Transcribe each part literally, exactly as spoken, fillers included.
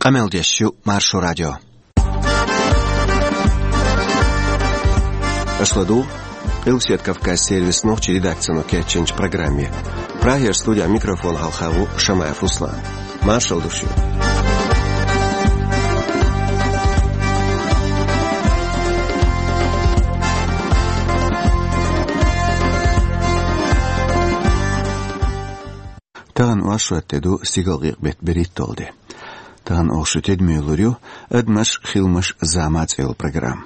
Къамел деш ю Маршо радио. Аша ладугӀу Къилбаседа Кавказан сервисан нохчийн редакцино кечйинчу программе. Прагера студин микрофона хьалха ву Шамаев Руслан. Маршалла ду шуьга. Тахана оршот де ду, стигалкъекъа беттан берхӀитталгӀа де. Тахана оха шун тидаме лур ю «Адамаш, хиламаш, зама» цӀе йолу программа.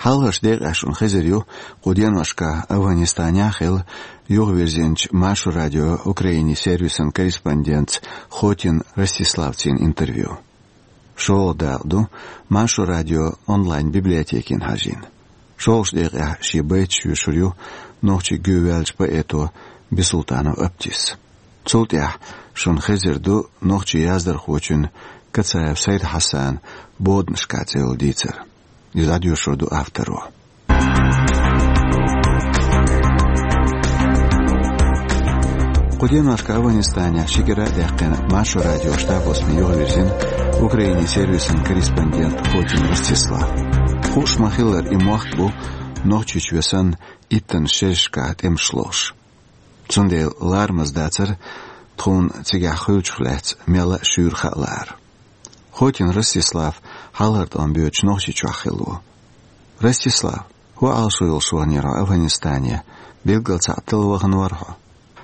Хьалхарчу декъехь шуна хезар ю кху деношкахь Афганистанехь хилла юхавирзинчу Маршо радион Украинин сервисан корреспондентца Хотин Ростиславцина интервью. ШолгӀа дакъа ду Маршо радион онлайн-библиотекина хьажийна. ШолгӀачу декъехь шен байташ йоьшур ю нохчийн гӀоьвоьллачу поэто Бисултанов Аптис. Цул тӀаьхьа шуна хезар ду нохчийн яздархочун Кацаев Сайд-Хьасанан «Боданашкахь» цӀе йолу дийцар. Иза дӀадоьшур ду авторо. Кху деношкахь Афганистанехь ши кӀира а даьккхина, Маршо радион штаб-хьостаме юхавирзина Украинин сервисан корреспондент Хотин Ростислав. Хууш ма-хиллара, и мохк бу Нохчийчоь санна иттаннаш шерашкахь тӀемаш лохуш. Цундела ларамаза дацара тхуна цигахь хуьлучух лаьцна мелла а шуьйра хаа лаар. Хотин Ростислав хьалхара тӀом боьдуш Нохчийчохь хилла ву. Ростислав, хӀун Ӏалашо йолуш ваханера хьо Афганистане? Билггал цхьаъ талла вахана вара хьо?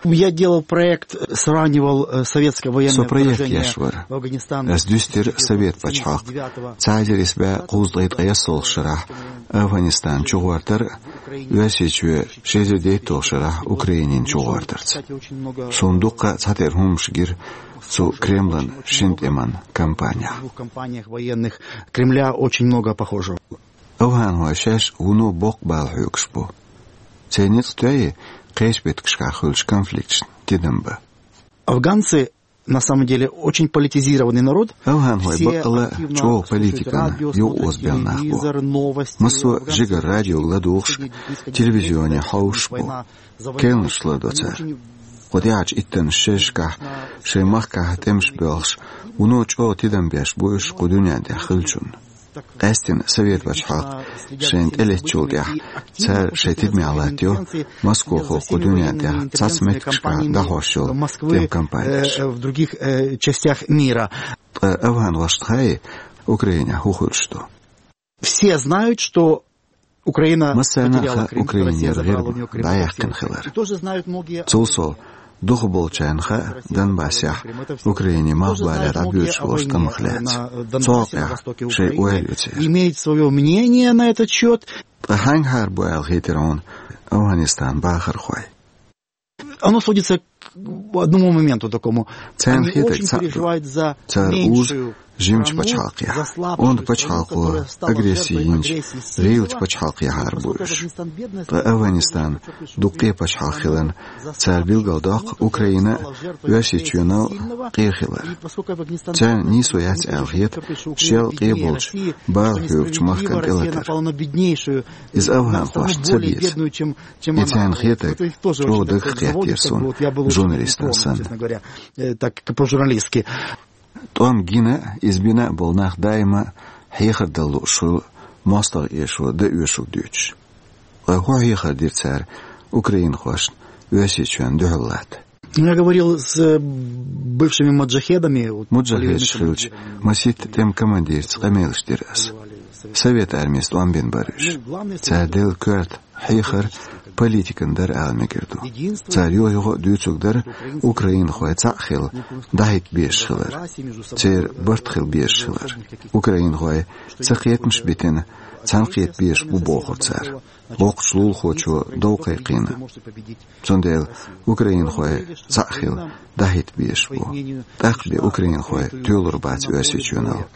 Я делал проект, сравнивал, э, советское военное вторжение в Афганистан. Со проект еш вара. Ас дуьстира Совет пачхьалкх цхьа эзар исс бӀе кхузткъе ткъайоьсналгӀачу шарахь Афганистан чугӀортар а, Оьрсийчоь ши эзар дейтталгӀачу шарахь Украинина чугӀортарца. Суна дуккха а цхьатерра хӀуманаш гира цу Кремлан шина тӀеман кампанехь. В двух кампаниях военных Кремля очень много похожего. Афганхой шаьш вуно боккха бала хьоьгуш бу. Церан ницкъ тоьий кхечу меттигашкахь хуьлучу конфликташна тидам бан? Афганцы, на самом деле, очень политизированный народ. Афганхой баккъалла а чӀогӀа политикана юкъаозабелла нах бу. Массо а жигара радиога ладугӀуш, телевизионе хьовсуш бу. Керланаш лардо цара. Кху тӀаьхьарчу иттаннаш шерашкахь шайн махкахь тӀемаш боьлхуш, вуно чӀогӀа тидам беш бу уьш кху дуьнен тӀехь хиллачунна. Къаьсттина Совет пачхьалкх шайна тӀелеттачул тӀаьхьа цара шайн тидамехь латтайо Москохо кху дуьнен тӀехь цхьацца меттигашкахь дӀахьош йолу тӀеман кампанеш. Э, в других, э, частях мира. Ткъа афганхошна хаьий, Украинехь хӀун хуьлуш ду? Все знают, что Украина потеряла Крым, что Россия забрала у неё Крым. Массарна а хаьа Украинера гӀирма дӀаяьккхина хилар. И тоже знают многие. Цул сов, дукхахболчарна хаьа Донбассехь Украинин малхбале дӀабоьдуш болчу тӀамах лаьцна. Цу хьокъехь шайн ойла ю церан. Имеют своё мнение на этот счёт. Ткъа хьаьнгахьара бу аьлла хетира хьуна Афганистанан бахархой? Оно сводится к одному моменту такому. Царна хетарг цхьаъ ду. Цара узу жимачу пачхьалкхехь, онда пачхьалкхо агресси йинчу гӀийлачу пачхьалкхехьара бу уьш. Ткъа Афганистан дуккха къен пачхьалкх хиларна, цара билгалдоккху Украина а, Оьрсийчоьнал а къен хилар. Царна нийсо яц аьлла хета шел къен болчу бала хьоьгучу махкана тӀелатар. Иза афганхошна ца беза. И царна хетарг чӀогӀа дагах кхеттера суна журналистана санна. ТӀом гина а, иза бина а болу нах даима а хьехар дала лууш хуьлу мостагӀа эшо дан оьшург дуьйцуш. Ткъа хӀун хьехар дира цара украинхошна Оьрсийчоьнна дуьхьал латта? Я говорил с, э, бывшими маджахедами, вот. Муджахедаш хилча, масийтта тӀеман командирца къамелаш дира аса. Совет армица тӀом бина бара уьш. Цара делла коьрта хьехар политикан дара ала мегар ду. Цара юха-юха а дуьйцург дара украинхой цхьаъ хилла дӀахӀитта безаш хилар. Церан барт хила безаш хилар. Украинхой ца кхетамаш а битина, цхьаьна кхета безаш бу бохура цара. Воккхачу лулахочо дов кхайкхийна. Цундела украинхой цхьаъ хилла дӀахӀитта безаш бу. ТӀаккха бен украинхой тоьлур бац Оьрсийчоьнал.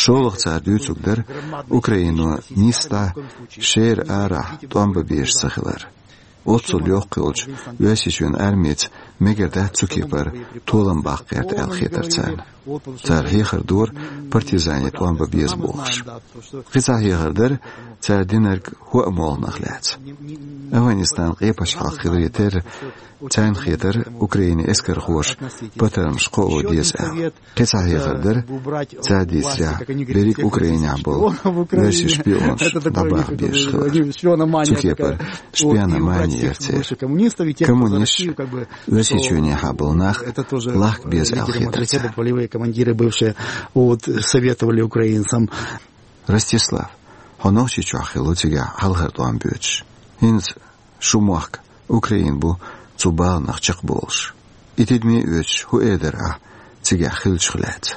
ШолгӀа цара дуьйцург дара Украино нийсса дӀа шера арахь тӀом бан безаш ца хилар. Оццул йоккха йолчу Оьрсийчоьнан армица мегар дац цу кепара толам баккха гӀерта аьлла хетара царна. Цара хьехар дора партизане тӀом бан беза бохуш. Кхин цхьа хьехар дара цара динарг хӀоа молханах лаьцна. Афганистан къепачхьалкх хиларе терра, царна хетар Украинан эскархоша патармаш кхоа деза аьлла. Кхин цхьа хьехар дар, цара дийцарехь, берриг Украинехь болу оьрсийн шпионаш дӀабаха безаш хилар. Цу кепара шпиономани яра церан. Коммунисташ, Оьрсийчоьнехьа болу нах лахка беза аьлла хетар царна. Ростислав, хьо Нохчийчохь хилла ву цигахь хьалхара тӀом боьдуш. ХӀинца шун мохк Украина бу цу баланах чекхболуш. И тидаме а оьцуш, хӀун эр дара ахь цигахь хиллачух лаьцна?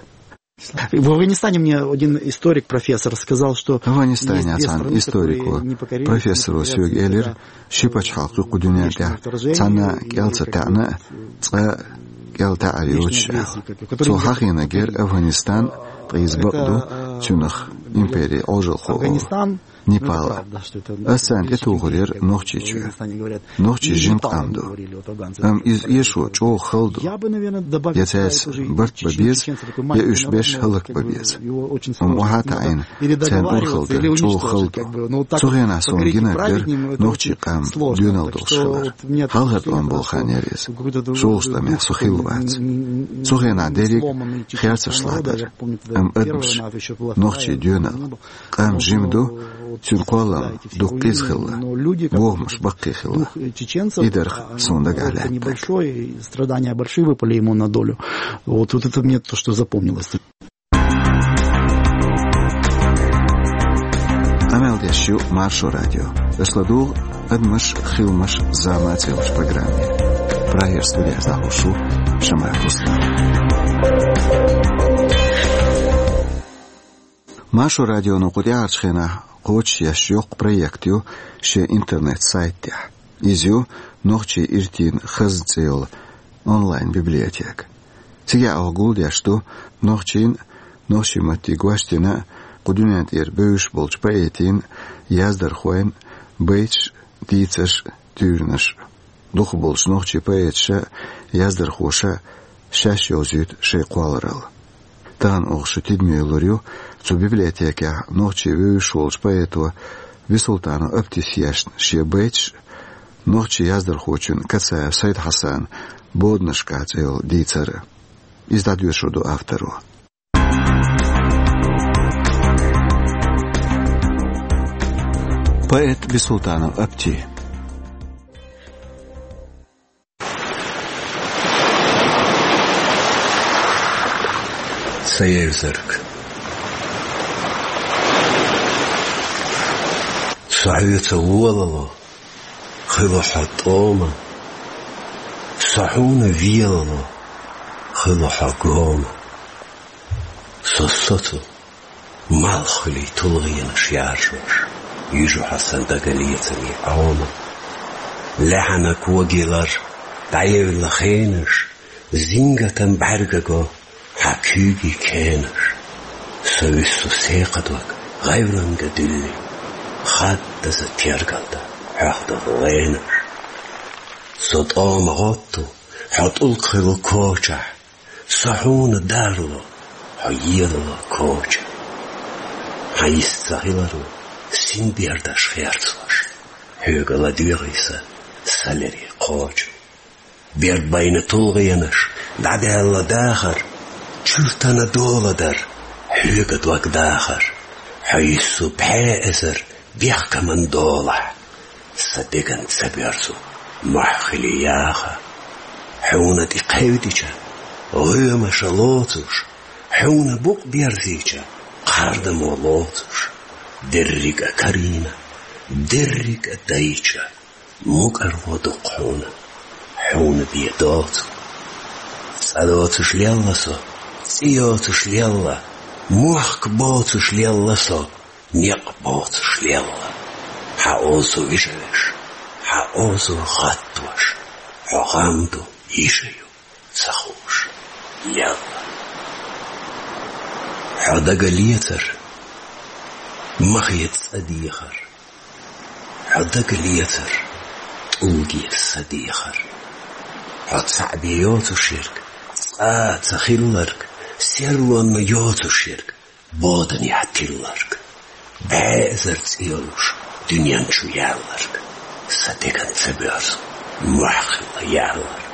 В Афганистане мне один историк, профессор, сказал, что Афганистанехь цхьана историко, профессоро соьга элира, ши пачхьалкх ю кху дуьнен тӀехь цхьанна кӀел ца таьӀна а, цкъа кӀел таьӀар йоцуш аьлла. Цо хьахийнарг яра Афганистан, ткъа иза бакъ ду, цуьнах импери Ӏожалхо олу. Непал. Ас царна тӀетухур яра Нохчийчоь. Нохчий жима къам ду. Амма иза эшо чӀогӀа хала ду. Я цаьрца барт бан беза, я уьш беш хӀаллакбан беза. Амма охьа а таӀийна, царна урхалла дар чӀогӀа хала ду. Цу хенахь суна гинарг дара нохчийн къам доьналла долуш хилар. Хьалхара тӀом болу хан яра иза. ШолгӀачу тӀамехь со хилла вац. Цу хенахь дерриг а херцаршлахь дара. Амма адамаш, нохчий доьналла. Къам жима ду, цуьнан кхоллам дукха къиза хилла, бохамаш баккхий хилла. И дара суна дагахь лаьттарг. Большое, страдания большие выпали ему на долю. Вот, вот это мне то, что запомнилось. Къамел деш ю Маршо радио. Аша ладугӀу «Адамаш, хиламаш, зама» цӀе йолчу программе. Прагера студехь дӀахьош ву Шамаев Руслан. Маршо радионо кху тӀаьхьарчу хенахь кхочушъеш йоккха проект ю шен интернет-сайт тӀехь. Иза ю «Нохчийн иртийн хазна» цӀе йолу онлайн-библиотека. Цигахь оха гулдеш ду нохчийн, нохчийн матте гочдина, кху дуьнен тӀера бевзаш болчу поэтийн, яздархойн байташ, дийцарш, туьйранаш. Дукхахболчу нохчийн поэташа, яздархоша шаьш йовзуьйту шайн кхолларалла. Тахана оха шу тидаме лур ю цу библиотекехь нохчийн вевзаш волчу поэто Бисултанов Аптис ешна шен байташ, нохчийн яздархочун Кацаев Сайд-Хьасанан «Боданашкахь» цӀе йолу дийцар. Иза дӀадоьшур ду авторо. Поэт Бисултанов Апти. Сан евзарг. Со хьоьца волало, хуьлу хьо тӀома. Со хьуна велало, хуьлу хьо гома. Со соцу малхбалин тулгӀенаш яржош, юьжу хьо сан дагалецамийн Ӏома. Лаьхьанан когийлар дӀаевлла хенаш, зингатан бӀаьрга го хьан куьйгийн кенаш. Со вуьссу секхадог гӀевланга дуьллий, хаддаза тергалдан хьоьхдолу гӀенаш. Со тӀома гӀотту хьо тӀулг хуьлу кочахь, со хьуна дарло, хьо елало коча. Хьан йист ца хиларо синбердаш херцош, хьоьга ладоьгӀий сан салерий кхочу. Берд байна тулгӀенаш, дӀадаьлла дахар, чуьртана доладар, хьоьга дог дахар. Хьо йиссу пхьа эзар бехкаман долахь, сан деган ца боьрзу мохь хили яха. Хьуна тӀе кхевдича, гӀоьмаша лоцуш, хьуна букъ берзийча, кхардамо лоцуш, дерриг а карийна, дерриг а дайча, мукӀарло ду хьуна, хьуна бен доцу. ЦӀа доцуш лелла со, цӀе йоцуш лелла, мохк боцуш лелла со, некъ боцуш лелла. Хьан озо вижавеш, хьан озо гӀаттош, хьо гӀам ду, йиша ю, ца хууш лелла. Хьо дагалецар, ма хета цӀа дехар. Хьо дагалецар, тӀулге са дехар. Хьо цхьаъ бен йоцуш ерг, цкъа а ца хилларг, серлонна йоцуш ерг, боданехь тилларг. Баьзар цӀе йолуш дуьнен чу яьлларг, сан деган ца боьрзу, мохь хилла яьлларг.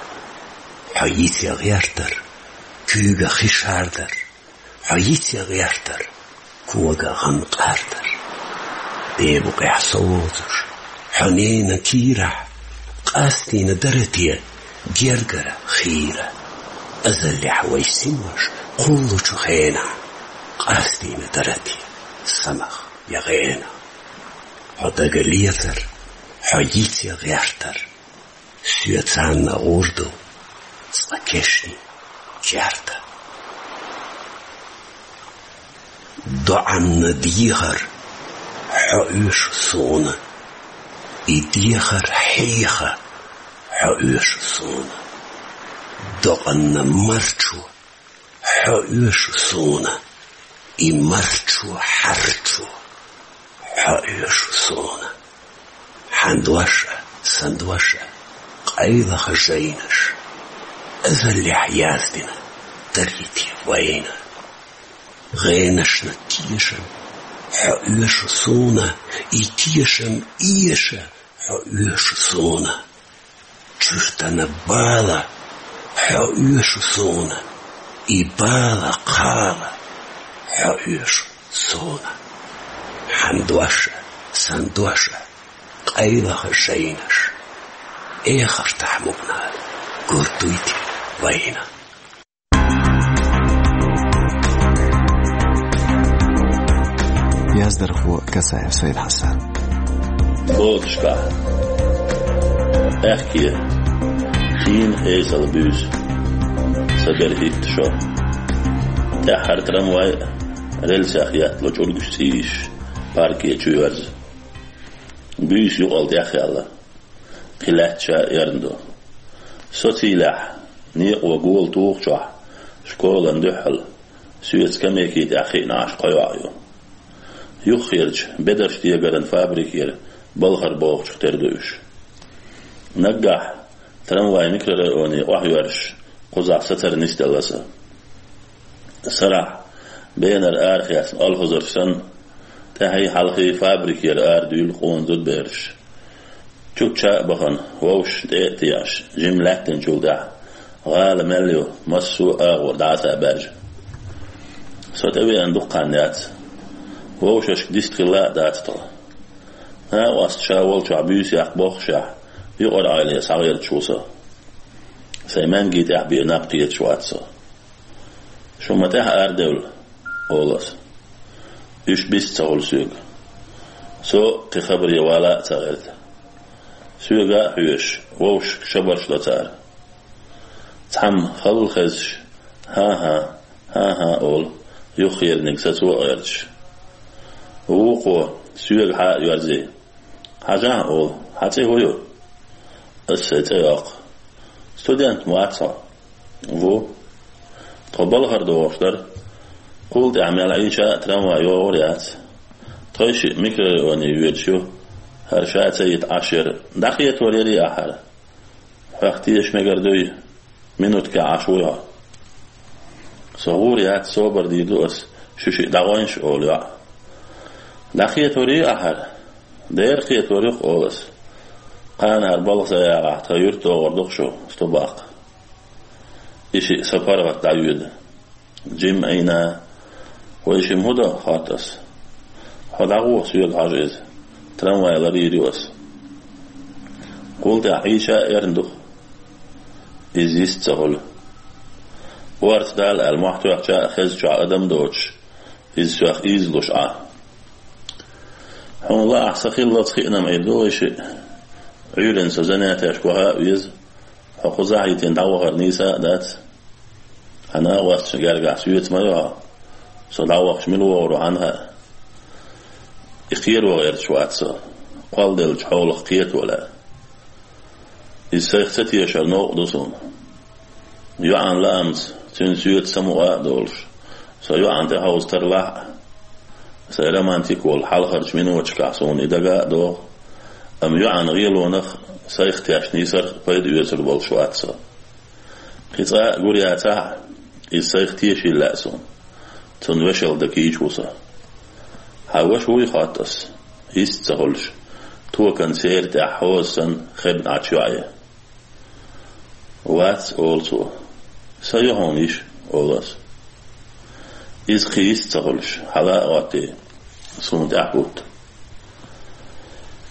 Хьо йицъян гӀертар, куьйга хи шардар, хьо йицъян гӀертар, кога гӀан къардар. Бе букъехь со воцуш, хьо ненан кийрахь, къастийна дара те гергара хийра? Азаллехь вай синош кхуллучу хенахь, къастийна дара те самах я гӀенах? Хьо дагалецар, хьо йицъян гӀертар, соьца цхьаьна гӀур ду цкъа кешнийн керта. ДоӀанна дехар хьо оьшу суна, и дехар хьеха хьо оьшу суна. Докъанна марчо хьо оьшу суна, и марчо хьарчо хьо оьшу суна. Хьан дош а, сан дош а, къайлаха жайнаш, азаллехь яздина дарий те вайна? ГӀенашна тешам хьо оьшу суна, и тешам эша хьо оьшу суна. Чуьртана бала хьо оьшу суна, и бала кхала хьо оьшу суна. Хьан дош а, сан дош а, къайлаха жайнаш, эхартахь мукъана гур дуй те вайна? Яздархо Касаев Сайд-Хьасан. Лодашкахь. Аьхке. Шийна эсала буьйса. Ца бер хӀитта шо. ТӀаьххьара трамвай а, рельсех еттало чӀургаш цӀийш, парке чу йоьрзу. Буьйса юкъал тӀехъяьлла. Кхин лаьтташ а эрна ду. Со цийлехь, некъо гола тухучохь, школан дуьхьал, соьца скамейки тӀехь хиъна Ӏаш кхо йоӀ ю. Юххерчу бедарш дегаран фабрикера балхара бохучух тера ду уьш. Наггахь трамвай микрорайоне охьайоьрзуш кхузахь сацар нисделла сан. Сарахь бенара арахецна олхазарш санна, тӀаьхьий-хьалхий фабрикера арадуьйлу къона зудабераш. Чучча а бахана, вовшашна тӀе а теӀаш, жимма лаьттинчул тӀаьхьа, гӀала мел ю, массо а агӀор дӀаса а баьржа. Со тӀевеана дукха хан яц. Вовшашка дистхилла а дац тхо. Накъост ша волчохь буьйса яккха боххушехь, юкъара Ӏеле схьагӀерташ ву со. Сайн маьнги тӀехь бен наб кхеташ вац со. Шу ма тӀаьхьа арадевлла, олу ас. Уьш бист ца хуьлу соьга. Со кхин хабаре вала а ца гӀерта. Соьга а хьоьжуш, вовшашка шабарш до цара. Цхьамма халла хезаш, хӀан-хӀа, хӀан-хӀа олу, юххерниг сацо а гӀерташ. Вукхо, соьга хьа а йоьрзий: «Хьажахь, — олу, — хьан цӀе хӀун ю?» Ас сайн цӀе йоккху. «Студент ма вац хьо?» «Ву». «Тхо балхара догӀуш дара. Кхул тӀаьхьа мел Ӏийча а трамвай йогӀур яц. Тхойшиъ микрорайоне йоьдуш ю. ХӀара ша ца йита Ӏаш яра. ДӀакхетор ярий ахь хӀара?» «Хьох теша мегар дуй? Минуткехь Ӏаш вуй хьо». Со гӀур яц, собар дийр ду ас, шу шиъ дӀагӀойнаш, олу йоӀ. «ДӀакхетор юй ахь хӀара?» «Дера кхетор ю-кх», олу ас. «Кханара балха сан ягӀахь тхан юьртдогӀур ду-кх шу, сту баккха». И шиъ сан паргӀат дӀайоьду. Жимма Ӏийна. «Вай шимма хӀун до?» — хотту ас. «Хьо дӀагӀо, соьга хьажа иза. Трамвай ларйийр ю ас». Кхул тӀаьхьа Ӏийча а эрна ду-кх. Иза йист ца хуьлу. Орца дала аьлла, мохь тоьхча а, хезачохь адам доцуш, иза соьх ийзалуш Ӏа. Хьуна лаахь, сан хиллалц хиъна-м Ӏийр ду вай шиъ. Ӏуьйранна со занятешка ваха а веза. Хьо кхузахь а йитина дӀавахар нийса а дац. Хьан накъосташна гергахь соьца ма ю хьо. Со дӀавахча мила вогӀур ву хьанна хаьа. И кхеро гӀерташ вац со. Кхолладеллачу хьолах кхето лаьа. Иза сайх ца тешар новкъа ду суна. ЙоӀан лаамца, цуьнан соьца самукъа а долуш, со йоӀана тӀехьовза тарлахь а, сайн романтик волу хьалхарчу миноташкахь суна и дага а догӀу, амма йоӀан гӀелонах сайх тешна йисарх пайда оьцур болуш вац со. Кхин цкъа а гур яцахь а, иза сайх тешийла лаьа суна. Цунна вешал дан кийча ву со. Хьан ваша вуй, хоатт ас, йист ца хуьлуш, токан сера тӀехь хьоза санна хебна Ӏачу йоӀе. Вац, олу цо. Сан ю хьуна йиша, олу ас. Иза кхин йист ца хуьлуш, хьала а гӀоттий, суна тӀаьхьа хӀутту.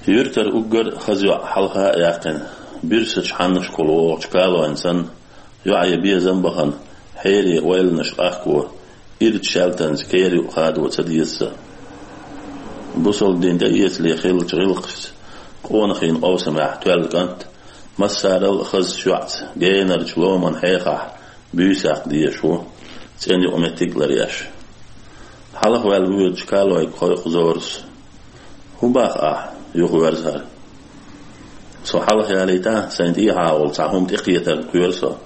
Юьртара уггар а хаза йоӀ хьалха а яьккхина, буьрсачу хьаннашкахула вогӀучу калойн санна, йоӀе безам а бахана, хьере ойланаш къахко, ирча шаьлтанца кера юкъа хадо ца деза сан. Бусалба дин тӀеэцале хиллачу гӀиллакхашца, къонахийн къовсамехь тоьлла кӀант, массарал а хазачу йоӀца генарчу ломан хьехахь, буьйса яккха дезаш ву, цӀена юкъаметтиг а ларъеш. Хьалха ваьлла воьдучу калойга кхойкху Зорас. ХӀун боху ахь, юхаверзахьара? Со хьалха ялийтахь, сайн тӀехьа волу цхьа хӀума тӀекхетарна кхоьру со.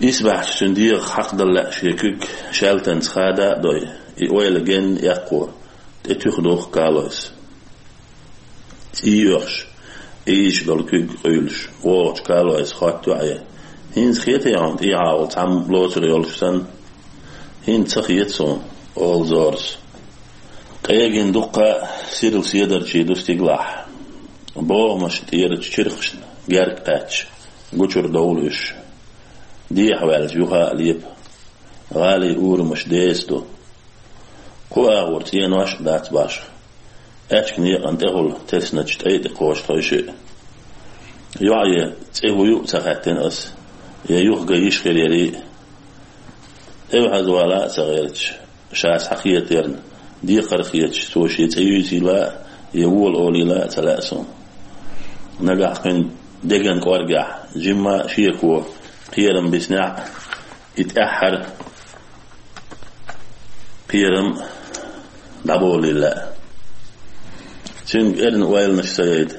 Исбаьхьчу цуьнан дегӀах хьакхадала лаьа шен куьг, шаьлтанца хада а дой, и ойла генна эккхо, тӀетуьха духу калойс. ЦӀий оьхуш, ийзаш долу куьг къуьйлуш, вогӀучу калойс хотту йоӀе: «ХӀинца хетий хьуна тӀехьа волу цхьамма лоцур йолуш санна?» «ХӀинца ца хета суна», — олу Зорас. Къегина дуккха а сирла седарчий ду стигалахь. БогӀамашна тӀерачу чиркхашна герга кхаьчча, гучура довла уьш. Дехьаваьлча юха а лепа. ГӀалин урамаш деса ду. Кху агӀор цӀенош а дац башха. Аьчка некъан тӀехула тесначу тӀай тӀе кхочу тхойшиъ. ЙоӀе цӀе хӀун ю а ца хаьттина ас, я юха ган йиш хир ярий а. ТӀевхьазвала а ца гӀерташ, ша схьакхетарна, декхар хеташ, цо шен цӀе юьйцийла а, я вола олийла а ца лаьа суна. Нагахь кхуьнан деган кӀоргехь жимма а шеко кхерам биснехь а, и тӀаьххьара кхерам дӀаболийла лаьа. Цуьнга эрна ойланаш ца яйта,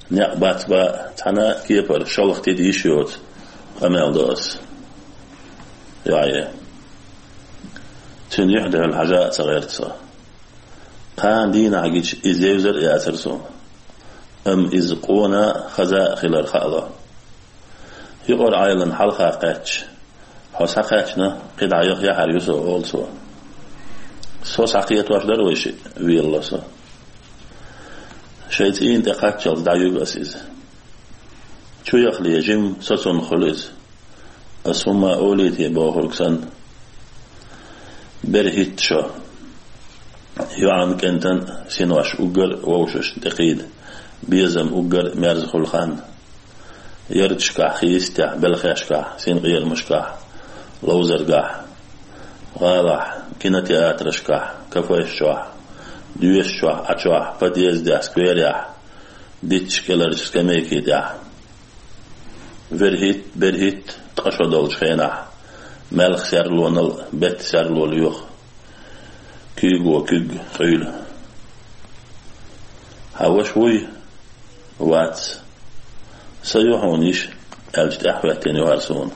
некъ бац баа, цхьана а кепара шалха тида йиш йоцу, къамел до ас. ЙоӀе. Цуьнан юьхь дуьхьал хьажа а ца гӀерта со. Кхана дийнахь гича иза евзар а яцара суна. Амма иза къона а, хаза а хилар хаало. Юкъара Ӏайланна хьалха кхаьчча, хьо схьакхаьчна, кхидӀа яха яхьар ю со, олу цо. Со схьакхетош дара вай шиъ, велало со. Шайн цӀийнан тӀе кхаччалц дӀаюьгу ас иза. Чу яхале жима, со цунна хуьлу иза. Ас хӀумма а олий те бохург санна. Бер хӀитта шо. ЙоӀан, кӀентан синош уггар а вовшашна тӀекхийда, безам уггар а мерза хуьлу хан. Ярташкахь, хи йистехь, белхешкахь, синкъерамашкахь, ловзаргахь, гӀалахь, кинотеатрашкахь, кафеш чохь, доьшучохь, Ӏачохь, подъездехь, скверехь, дитташ кӀеларчу скамейки тӀехь. Вер хӀитта, бер хӀитта ткъа шо долчу хенахь, маьлхан серлонал а, беттан серло лоьху. Куьйго куьг къуьйлу. Хьан ваша вуй? Вац. Сан ю хьуна йиша, аьлча тӀаьхьахӀоьттина ю хӀара суна.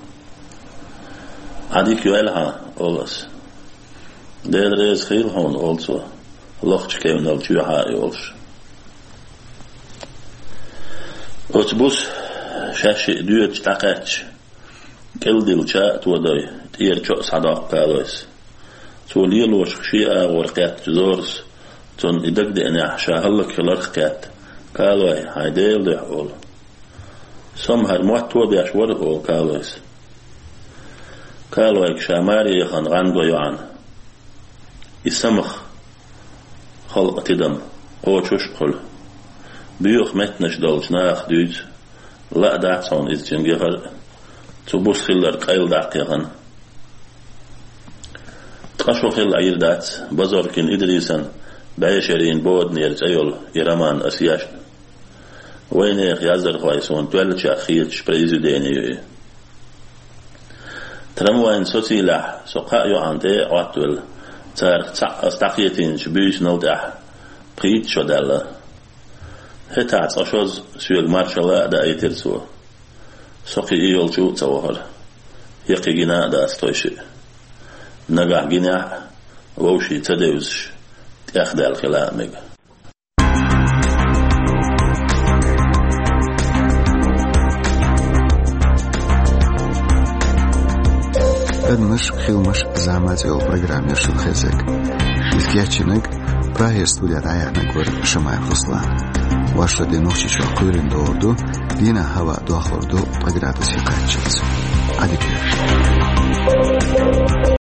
Ӏа дика йойла хьан, олу ас. Дела реза хуьлда хьуна, олу цо, лохчу кевнал чоьхьа а йолуш. Оцу буса шаьшшиъ доьдуш дӀакхаьчча, кӀелдилла ча а тодой, тӀера чо а схьадоккху калойс. Цо лелошах шен агӀор кхеттачу Зорас, цунна и дагадеанехь, ша хӀаллакьхиларх а кхетта: «Калой, хьайн Делан дуьхьа», — олу. «Со-м хӀара мотт а беш вара», — олу калойс. Калойга ша маре яхана гӀан го йоӀана. И самах халкъан тидам кхочуш а хуьлу. Боьха меттанаш долчу нахах дуьйцу, лаа дац хьуна иза цуьнга яхар а, цу буса хилларг къайладаккха яхана. Ткъа шо хилла Ӏийр дац Базоркин Идрисан «БӀешерийн боданера» цӀе йолу и роман ас ешна. Вайнехан яздархойн суна тоьллачех хеташ произведени ю и. Трамвайн социйлехь со кхаа йоӀана тӀе а Ӏоттавелла, царах цхьаъ ас дӀакхетийначу буьйсанал тӀехь пхийтта шо даьлла. ХӀетахь цкъа шозза соьга маршалла а даийтира цо. Со кхин и йолчу а ца вахара. Я кхин гина а дац тхойшиъ. Нагахь гинехь а, вовшийн ца девзаш, тӀехдаьлла хила а мега. Адамаш, хиламаш, зама цӀе йолу программа ю шун хезарг. Иза кечйинарг, Прагера студера дӀаяьхьнарг вара Шамаев Руслан. Вайшин Нохчийчохь кхоьлина догӀур ду, дийнахь хӀаваъ дохур ду ткъа градусе кхаччалц. Ӏадика йойла шун.